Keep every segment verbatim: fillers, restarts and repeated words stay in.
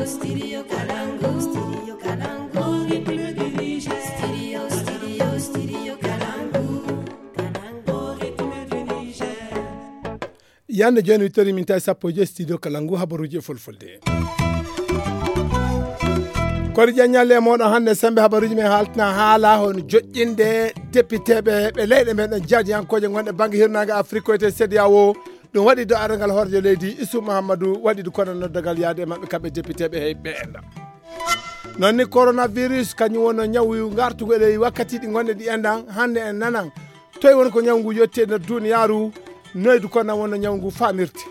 Studio Kalangu, Studio Kalangu, Studio, Studio, Studio Kalangu, Kalangu, Yande jooni wittori min tawi sappo e joyi studio Kalangu habaruuji e fulfulde. Kori ƴaññalle e mooɗon hannde sembe habaruuji men haaltina haala hono joƴƴinde depiteeɓe ɓe leyɗe men ɗon jaadiyankooje ngonɗe bannge hirnaange Afrik ko wiyetee C D A O. Ɗum waɗi do arangal horeejo leydi Isu Muhammadu waɗi ɗum kono noddagal yaade e maɓɓe kamɓe depiteeɓe hey ɓe enɗan. Noon ni coronavirus kañum wonno ñawu ngartugol e wakkatiiji gonɗe ɗi enɗan hannde en nanan toy woni ko ñawu ngu yetti e nder duniyaaru noydu kono wonno ñawu ngu famirte.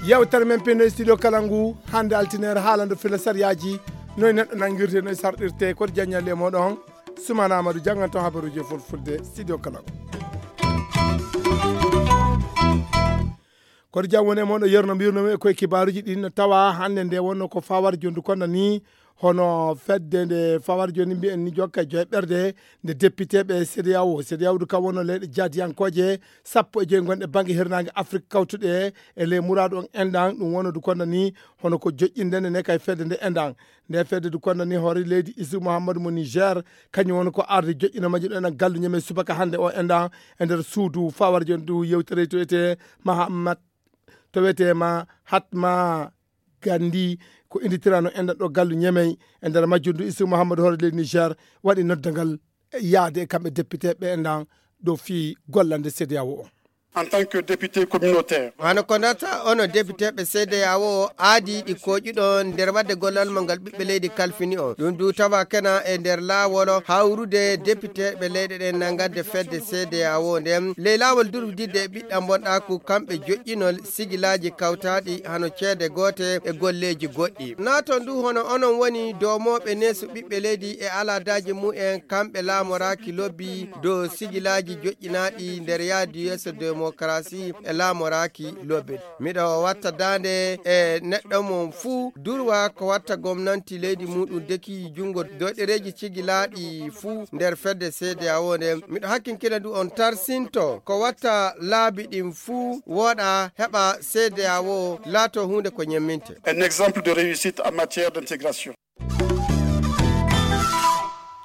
Yewtere men pinno e studio kala ngu hannde altineere haalando fila sariyaaji noy neɗɗo nangirte noy sarɗirte koto jaññalle e moɗon. Sumana Amadou jannganto habaruuji e fulfulde studio kala ngu. Koto jam woni e moɗon yerno mbirnomi e koye kibaaruuji ɗin no tawa hannde nde wonno ko fawar jondu kono ni hono fedde nde fawar joni mbiyen ni jokka e joye ɓerde nde depiteɓe C D A O. C D A O du kam wonno leyɗe jaadiyankooje sappo e joyi gonɗe bangge hirnaange Afrik kawtuɗe e ley muraadu on enɗan ɗum wonno du kono ni hono ko joƴƴinde nde ne kay fedde nde enɗan. Nde fedde du kono ni hoore leydi Isu Muhammadu mo Niger kañum woni ko arde joƴƴino majji ɗo enen gallu ñeme subaka hannde o enɗan e nder suudu fawar joni du yewtere to wiyetee Mahamat to wiyetee Mahatma Gandi ko inditirano enɗan ɗo gallu ñemey e nder majjum du Isu Muhammadu hoore leydi Niger waɗi noddagal yaade e kamɓe depiteɓe enɗan ɗo fii gollande C D A O o. En tant que député communautaire. Hano ko ndarta ono depiteɓe C D A O o aadi ɗi koƴuɗo nder wadde gollal mo ngal ɓiɓɓe leydi kalfini on. Ɗum du tawa kena e nder laawol hawrude depiteɓe leyɗe ɗen nangande fedde C D A O nden. Ley laawol durfdidde e ɓiɗɗa bonɗaaku kamɓe joƴƴinol sigilaaji kawtaaɗi hano ceede goote e golleeji goɗɗi. Naa toon du hono onon woni doomooɓe neesu ɓiɓɓe leydi e alaadaaji mumen kamɓe laamoraaki lobbi dow sigilaaji joƴƴinaaɗi nder yaadu yeeso demokarasi e laamoraaki lobbe. Miɗo watta daande e neɗɗo mon fuu durwa ko watta gomnanti leydi muɗum deki junngo doɗereeji cigilaaɗi fuu nder fedde C D A O nden. Miɗo hakkinkina du on tarsinto ko watta laabi ɗin fuu wooɗa heɓa C D A O laato huunde ko ñemminte. Un exemple de réussite en matière d'intégration.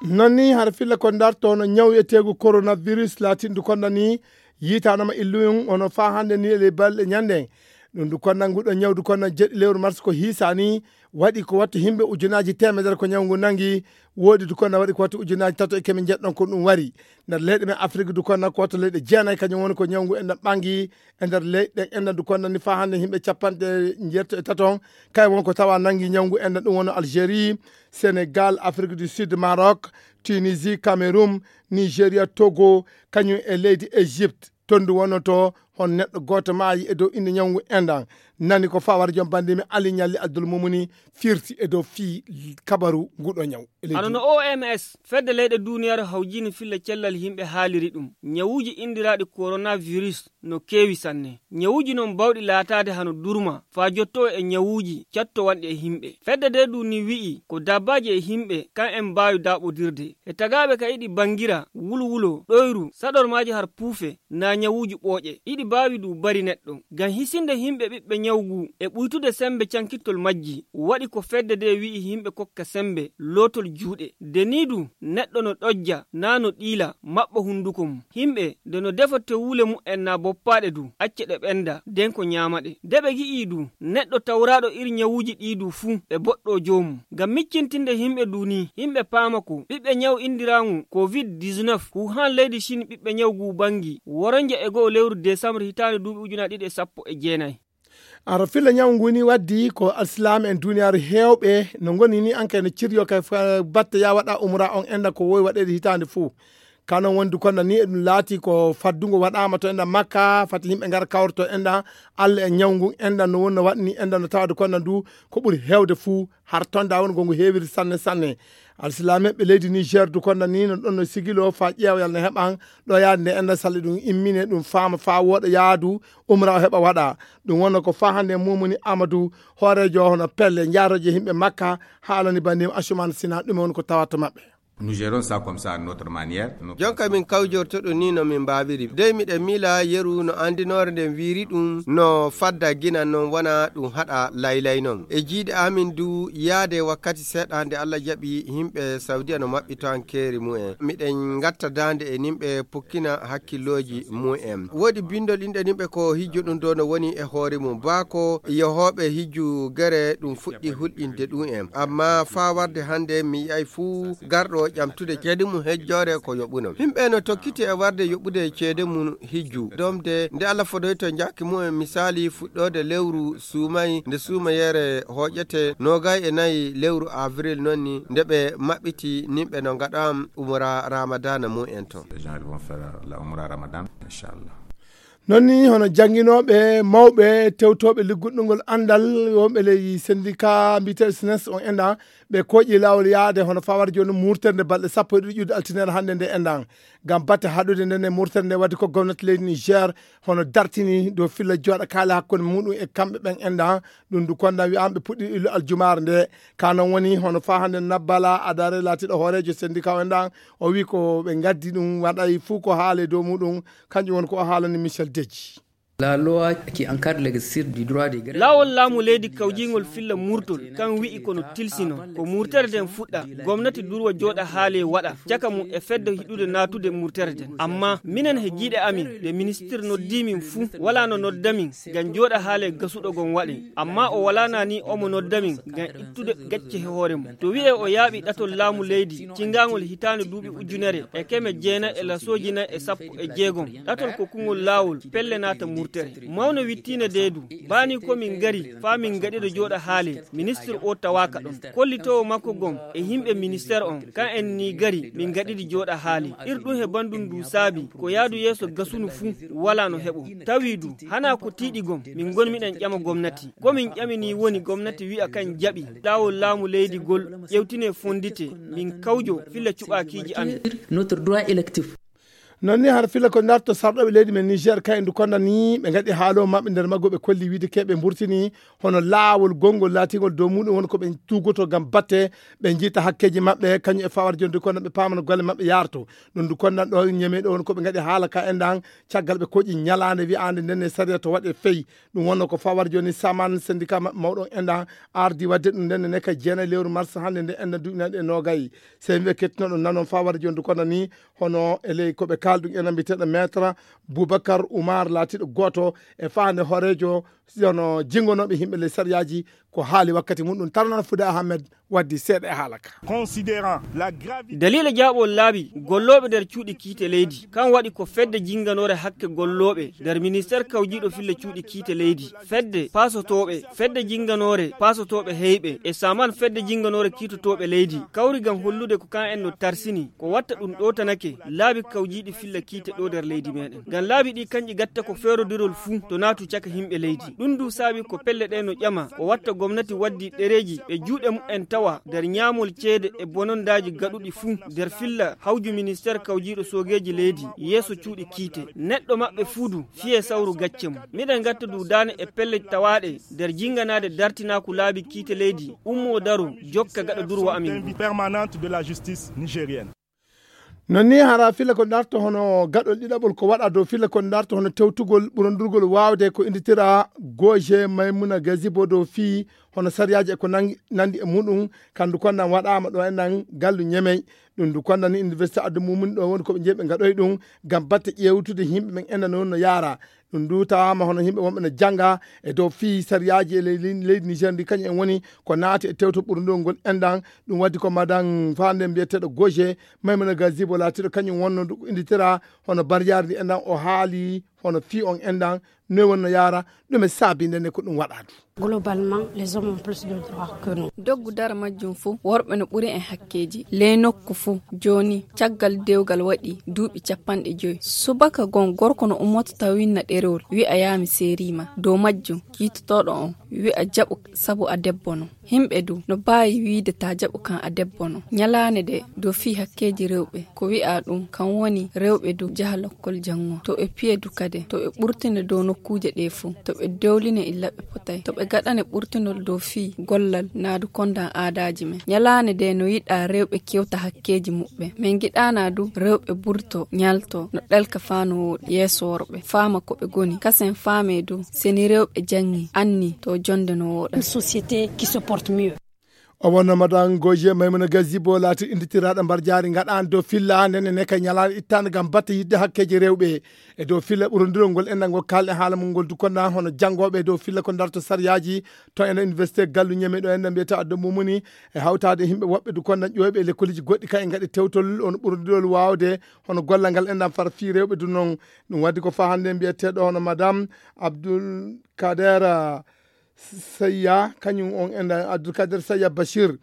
Noon ni hara filla ko darto no ñaw etegu coronavirus laatindu konda ni yitanoma illuyum ono fa hannde ni ele balɗe ñande ɗum du konda nguɗo ñawdu konda jeɗɗi lewru mars ko hiisani waɗi ko wattu himɓe ujunaji temedere ko ñaw ngu nangi woodi du konda waɗi ko wattu ujunaji tato e kemi jeɗɗon ko ɗum wari nder leyɗe men afrique du konda ko wattu leyɗe jeenayi kañum woni ko ñaw ngu enɗan ɓangi e nder leyɗe enɗan du konda ni fa hannde himɓe capanɗe jeetto e taton kay won ko tawa nangi ñaw ngu enɗan ɗum woni algérie sénégal afrique du sud maroc tunisie cameroun nigeria togo kañum e leydi égypte tondu wonnoto hon neɗɗo gooto maayi e dow innde ñawngu enɗan nani ko fawara joom banndimi ali ñalli abdul mumuni firti e dow fii kabaru nguɗo ñaw hano no oms fedde leyɗe duniyaaru hawjini filla cellal yimɓe haaliri ɗum ñawuuji indiraaɗi coronavirus no keewi sanne ñawuuji noon bawɗi laataade hano durma faa jottoo e ñawuuji cattowanɗi e yimɓe fedde nde du ni wi'i ko dabbaaji e yimɓe kan en mbaawi daaɓodirde e tagaaɓe ka iɗi banngira wulwulo ɗoyru saɗormaaji har puufe naa ñawuuji ɓooƴe iɗi mbaawi du bari neɗɗo ngam hisinde yimɓe ɓiɓɓe ñaw ngu e ɓuytude semmbe cankittol majji waɗi ko fedde nde wi'i yimɓe kokka semmbe lootol juuɗe nde nii du neɗɗo no ɗojja naa no ɗiila maɓɓa hunnduko mum yimɓe nde no defa tewwule mu'en naa boppaaɗe du acca ɗe ɓennda nden ko ñaama ɗe nde ɓe ngi'ii du neɗɗo tawraaɗo iri ñawuuji ɗii du fuu ɓe boɗɗoo joomum ngam miccintinde yimɓe du nii yimɓe paama ko ɓiɓɓe ñaw indiraaŋu covid dix-neuf huhan leydi chine ɓiɓɓe ñaw ngu banngi woronja e go'o lewru desambre hitaande duuɓi ujunaaji ɗiɗi e sappo e jeenayi. Ara filla ñaw ngu ni waddi ko alsilaame en duniyaaru heewɓe no ngoni ni anke no ciryo kay batte ya waɗa umra on enda ko wowi waɗeede hitaande fuu kano wondi konda ni eɗum laati ko faddungo waɗaama to enda makka fati yimɓe ngara kawrto enda allah e ñaw ngun enda no wonno waɗni enda no tawade konda ndu ko ɓuri heewde fuu har tonda won gongo heewiri sanne sanne alsilaame ɓe leydi niger du konda ni no ɗon no sigilo fa ƴeewoyal no heɓan ɗo yaade nde enda salli ɗum immine ɗum faama fa wooɗa yaadu umra o heɓa waɗa ɗum wonno ko fa hannde mumuni amadou hoorejo hono pelle jaaroje yimɓe makka haalani bandim asuman sina ɗume woni ko tawata maɓɓe Nous gérons ça comme ça, à notre manière. Jonka min kawjorto ɗum ni no min mbaawiri. Dey miɗen miila yeru no anndinoore nden wiiri ɗum no fadda gina non wona ɗum haɗa laylay non. E jiiɗe amin du yaade wakkati seeɗa nde Allah jaɓi yimɓe Saudiya no maɓɓito hankeeri mu'en. Miɗen ngatta daande e nimɓe pukkina hakkillooji mu'en. Woodi bindol inɗe nimɓe ko hijju ɗum do no woni e hoore mum. Baako yehooɓe hijju gere ɗum fuɗɗi hulɗinde ɗum en. Amma faa warde hannde mi yi'ay fuu garɗo ƴamtude ceede mum hejjoore ko yoɓuno. Yimɓe no tokkiti e warde yoɓude ceede mum hijju. Domde nde Allah fodoyto njaaki mumen misaali fuɗɗoode lewru suumay nde suumayeere hooƴete noogay e nayi lewru avril non ni nde ɓe maɓɓiti nimɓe no ngaɗa umra Ramadana mumen to. Les gens vont faire la umra Ramadan, Inch'Allah. Non ni hono jannginooɓe mawɓe tewtooɓe ligguɗɗungol anndal wonɓe ley sendika mbiyeteeɗo sines on enɗan ɓe kooƴi laawol yaade hono fawar jooni murterde balɗe sappo e ɗiɗi ƴuwde altinere hannde nde enɗan ngam batte haɗude nden e murterde nde wadde ko gomnati leydi Niger hono dartini dow filla jooɗa kaali hakkunde muɗum e kamɓe ɓen enɗan ɗum du konda wi'ama ɓe puɗɗi illu aljumaare nde. Ka non woni hono fa hannde nabbala adare laatiɗo hooreejo sendika o enɗan o wi ko ɓe gaddi ɗum waɗay fuu ko haale dow muɗum. Kanƴum woni ko o haalani Michel Deji. La loi qui encadre l'exercice du droit de grève. Laawol laamu leydi kawjiingol filla murtol kan wi'i kono tilsino ko murtere nden fuɗɗa gomnati durwa jooɗa haale waɗa caka mum e fedde hiɗude naatude murtere nden. Amma minen he jiiɗe amin nde ministir noddi min fuu wala no nodda min ngam jooɗa haale gasuɗo gon waɗe. Amma o wala nani omo nodda min ngam ittude gacce he hoore mum to wi'e o yaaɓi ɗatol laamu leydi cingaangol hitaande duuɓi ujunere e keme jeenayi e lasooji nayi e sappo e jeegom. Ɗatol ko kungol laawol pelle naata murtere mawno wittiina deedu. Baani ko min ngari faa min ngaɗiɗo jooɗa haale ministir o tawaaka ɗon kollitoowo makko gom e yimɓe ministeer on kan en ni gari min ngaɗiɗi jooɗa haale. Ir ɗum he bandum ndu saabi ko yaadu yeeso gasunu fuu wala no heɓo tawi du hana ko tiiɗi gom min ngon miɗen ƴama gomnati ko min ƴamini woni gomnati wi'a kan jaɓi laawol laamu leydi gol ƴewtine fondite min kawjo filla cuɓaakiiji amin. Notre droit électif. Non ni hara filla ko darto sarɗoɓe leydi men Niger kay ndu kondani ɓe gaɗi haalo maɓɓe nder maggo ɓe kolli wiide ke ɓe mburtini hono laawol gongol laatingol dow muɗum woni ko ɓe tugoto ngam batte ɓe jiita hakkeji maɓɓe kañum e fawar joni ndu kondan ɓe pamana golle maɓɓe yarto. Ɗum ndu kondan ɗo ñeme ɗo woni ko ɓe gaɗi haala ka endan caggal ɓe koƴi ñalaande wi'aande nden e sariya to waɗe fey. Ɗum wonno ko fawar joni saman syndicat maɓɓe mawɗo endan ardi wadde ɗum nden ne ka jeenayi lewru mars hannde nde endan duɓinaɗe e nogayi. Sey wiɓe kettinoɗo nanon fawar joni ndu kondan ni hono e ley ko ɓe kaalɗum ena mbiyeteeɗo maître Boubacar Oumar laatiiɗo gooto e faande hooreejo hono jinngonooɓe yimɓe ley sariyaaji ko haali wakkati mum ɗum tarnana Fude Ahmed waddi seeɗa e haala ka. Considérant la gravité daliila jaaɓol laabi gollooɓe nder cuuɗi kiite leydi kan waɗi ko fedde jinnganoore hakke gollooɓe nder ministeer kawjiiɗo filla cuuɗi kiite leydi fedde paasotooɓe fedde jinnganoore paasotooɓe heyɓe e saman fedde jinnganoore kiitotooɓe leydi kawri ngam hollude ko kan en no tarsini ko watta ɗum ɗotanake laabi kawjiiɗi filla kiite ɗo nder leydi meɗen ngam laabi ɗi kanƴi gatta ko feerodirol fuu to naatu caka yimɓe leydi ɗum du saabi ko pelle ɗe no ƴama ko watta gomnati waddi ɗereeji ɓe juuɗe mumen tawa nder ñaamol ceede e bonondaaji gaɗuɗi fuu nder filla hawju ministeer kawjiiɗo soogeeji leydi yeeso cuuɗi kiite neɗɗo maɓɓe fuu du fiye sawru gacce mum miɗen gatta du daane e pelle tawaaɗe nder jinnganaade dartinaaku laabi kiite leydi ummo daro jokka gaɗa durwa amin ngu. Permanente de la justice nigérienne. Non ni hara filla ko darto hono gaɗol ɗiɗaɓol ko waɗa dow filla ko darto hono tewtugol ɓurondurgol waawde ko inditira goje maymuna gazibo dow fii hono sariyaaji e ko nangi- nandi e muɗum kandu konnan waɗaama ɗo enɗan gallu ñemey ɗum ndu konnan ni université addu mumuni ɗo woni koɓe jeeɓe gaɗoy ɗum ngam batte ƴeewtude yimɓe ɓen enɗan woni no yaara. Ɗum ndu tawaama hono yimɓe wonɓe no jannga e dow fii sariyaaji e ley- leydi Niger ndi kañum en woni ko naati e tewto ɓurndol ngol enɗan. Ɗum waddi ko madan faande mbiyeteeɗo goje maymuna gazibo laatiiɗo kañum wonno ndu inditira hono barjaari ndi enɗan o haali hono fii on enɗan noy wonno yaara ɗum e saabi ndenne ko ɗum waɗa du. Globalement les hommes ont plus de droits que nous. Doggu dara majjum fuu worɓe no ɓuri en hakkeeji ley nokku fuu. Jooni caggal dewgal waɗi duuɓi capanɗe joy subaka gon gorko no ummoto taw winna ɗerewol wi'a yaami seeriima dow majjum kiitotooɗo on wi'a jaɓu sabu a debbo no. Himɓe du no baawi wiide ta jaɓu kan a debbo no ñalaande de dow fii hakkeeji rewɓe ko wi'a ɗum kan woni rewɓe du jaha lokkol janngo to e piye du kadi. ɓurtinirɗe, to ɓe ɓurtina dow nokkuuje ɗee fof, to ɓe dewlina illa ɓe potay, to ɓe gaɗane ɓurtinol dow fii gollal naadu kondan aadaaji men. Ñalaande ndee no yiɗaa rewɓe kewta hakkeeji muɓɓen. Min ngiɗaanaa du rewɓe burto, ñalto, no ɗelka faa no wooɗi yeeso worɓe, faama ko ɓe ngoni. Kasen faamee du, seni rewɓe janngii, anni to jonnde no wooɗa. Une société qui se porte mieux. O wonno Madan Goje Maymuna Gazibo laati inditiraaɗo mbarjaari ngaɗaani dow filla nene ne ka ñalaande ittaande ngam batte yiɗde hakkeeji rewɓe. E dow filla ɓurondirol ngol enɗan ngol kaalɗe haala mum ngol dukonda hono janngooɓe e dow filla ko darto sariyaaji to ena université Gallu Ñeme ɗo enɗan mbiyata addo mumuni e hawtaade himɓe woɓɓe dukonda ƴooyɓe e lekkoliji goɗɗi ka e ngaɗi tewtol on ɓurondirol waawde hono gollal ngal enɗan fara fii rewɓe du noon. Ɗum waddi ko faa hannde mbiyeteeɗo hono Madame Abdoul Kader Seyya, kañum on enɗan Abdoul Kader Seyya Bachir.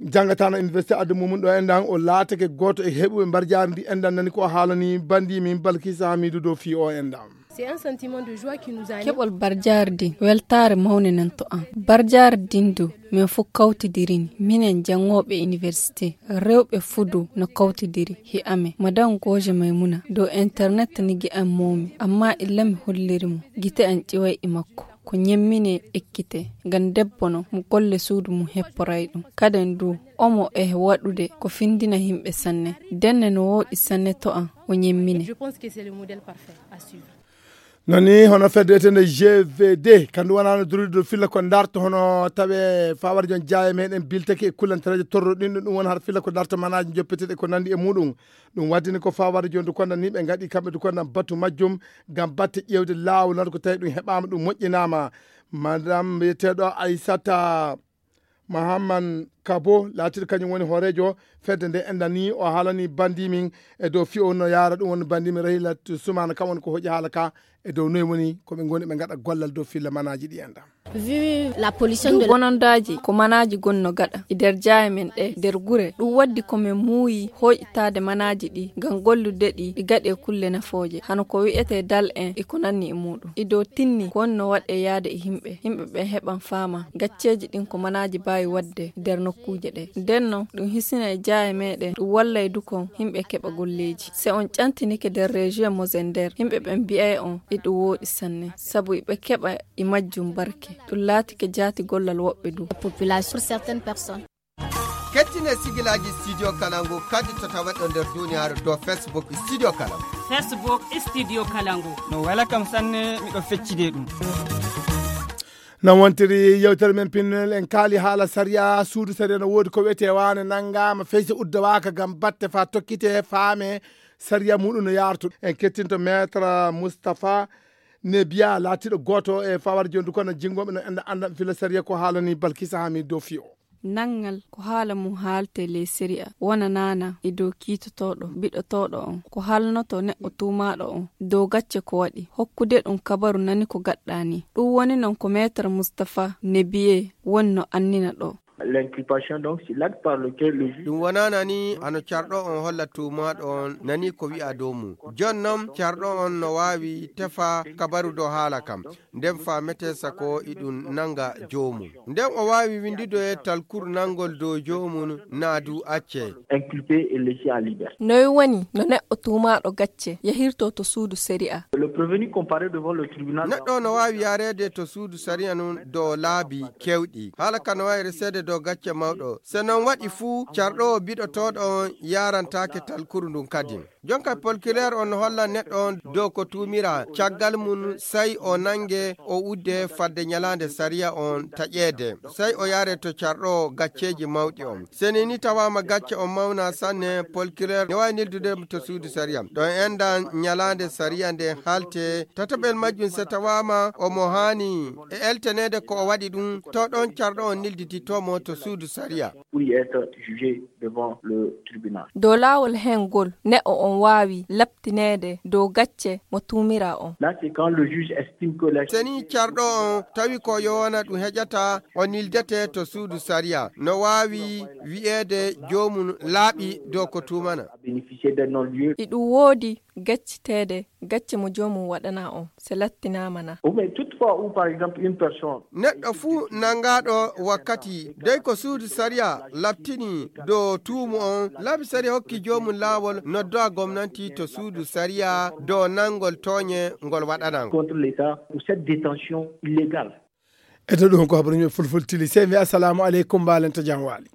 Janngatano université addu mumum ɗo enɗan o laatake gooto e heɓuɓe mbarjaari ndi enɗan nani ko o haalani bandi min Balkisa Hamidu dow fii o enɗan. C'est un sentiment de joie qui nous anime. Keɓol barjaari din weltaare mawne nan to an. Barjaari din du min fof kawtidirini, minen janngooɓe université, rewɓe fuu du no kawtidiri hi amen. Madan Goje Maymuna dow internet nigi an moomi, amma illa mi holliri mo gite an ƴiway e makko. Ko ñemmine ekkite, ngam debbo no mo golle suudu mum hepporay ɗum. Kaden du, omo e waɗude ko findina himɓe sanne. Denne no wooɗi sanne to an, o ñemmine. Je pense que c'est le modèle parfait à suivre. Nani hono fedde etende G V D, kandu wonano duride dow filla ko darto hono tawe fawar jon jaaye meɗen biltake e kullantareje torro ɗin ɗum won har filla ko darto manaji joppeteɗe ko nandi e muɗum. Ɗum waddini ko fawar jon du konda ni ɓe ngaɗi kamɓe du konda batu majjum ngam batte ƴewde laawol nan ko tawi ɗum heɓama ɗum moƴƴinama. Madame mbiyeteɗo Aissata Mahamman Kabo laatiɗo kañum woni hooreejo fedde nde enɗan ni o haalani bandi min e dow fiyo no yaara ɗum woni bandi min Rahilatu Sumana kam woni ko hoƴi haala ka e dow noy woni ko ɓe ngoni ɓe ngaɗa gollal dow filla manaji ɗi enɗan. Vu la pollution de bonondaaji ko manaaji gonno gaɗa e nder jaaye men ɗe nder gure ɗum waddi ko min muuyi hoyɗitaade manaaji ɗi ngam gollude ɗi ɗi gaɗe kulle nafooje hano ko wi'etee dal en e ko nanni e muuɗum ido tinni ko wonno waɗe yaade e yimɓe yimɓe ɓen heɓan faama gacceeji ɗin ko manaaji baawi waɗde nder nokkuuje ɗe nden non ɗum hisina e jaaye meɗen ɗum wallay du kon yimɓe keɓa golleeji si on ƴantinike nder région Mozender yimɓe ɓen mbi'ay on iɗum wooɗi sanne sabu iɓe keɓa e majjum barke ɗum laatike jaati gollal woɓɓe du. Population pour certaines personnes. Kettine sigilaaji Studio Kalangu kadi to taweɗo nder duniyaaru dow Facebook Studio Kalangu. Facebook Studio Kalangu. No wela kam sanne miɗo feccide ɗum. No wontiri yewtere men pinnel en kaali haala sariya suudu sariya no woodi ko wiyetee waane nanngaama feysa uddawaaka ngam batte faa tokkite faame sariya muɗum no yaartu en kettinto maître Moustapha Nebiya laatiiɗo gooto e fawar jondu kono jinngooɓe no enda annda fila sariya ko haalani Balkisa Hami dow fiyo. Nanngal ko haala mum haalte ley sariya wonanaana e dow kiitotooɗo biɗotooɗo on ko haalnoto neɗɗo tuumaaɗo on dow gacce ko waɗi hokkude ɗum kabaru nani ko gaɗɗaani ɗum woni noon ko maître Moustapha Nebiye woni no annina ɗo. L'inculpation donc c'est l'acte par lequel le juge. Ɗum wonana ni hano carɗo on holla tuumaaɗo on nani ko wi'a dow mum. Jon noon carɗo on no waawi tefa kabaru dow haala kam. Nden faamete sako iɗum nanga joomum. Nden o waawi windude talkuru nangol dow joomum naa du acce. Inculpé et laissé en liberté. Noy woni no neɗɗo tuumaaɗo gacce yahirto to suudu sari'a? Le prévenu comparé devant le tribunal. Neɗɗo no waawi yaareede to suudu sariya nun dow laabi kewɗi. Haala ka no waawi reseede dow gacce mawɗo. Se non waɗi fuu, carɗoowo biɗotooɗo on yaarantaake talkuru ndun kadi. Jonka polkireer on no holla neɗɗo on dow ko tuumira caggal mum, sey o nange o udde fadde ñalaande sariya on taƴeede. Sey o yaare to carɗoowo gacceeji mawɗi on. Seni ni tawaama gacce on mawna sanne, polkireer ne waawi neldude mo to suudu sariya. Ɗon enɗan ñalaande sariya nde haalte. Tataɓel majjum se tawaama omo haani e eltaneede ko o waɗi ɗum, to ɗon carɗo on neldititoo mo to suudu sariya. Pour y être jugé devant le tribunal. Dow laawol heen ngol, neɗɗo on waawi laɓtineede dow gacce mo tuumiraa on. Là, c'est quand le juge estime que la. Seni carɗo on tawi ko yowana ɗum heƴata, o nildete to suudu sariya. No waawi wi'eede joomum laaɓi dow ko tuumana. Bénéficier d'un non-lieu. Iɗum woodi gacciteede gacce mo joomum waɗanaa on, so lattinaama na. Ou bien toutefois où par exemple une personne. Neɗɗo fuu nangaaɗo wakkati dey ko suudu sariya labtini dow tuumu on, laabi sariya hokki joomum laawol noddowa gomnanti to suudu sariya dow nangol tooñe ngol waɗanaa. Contre l'État pour cette détention illégale. Eto ɗum ko habaruji fulfulde tili sey mi assalamu aleykum mbaalen to jam waali.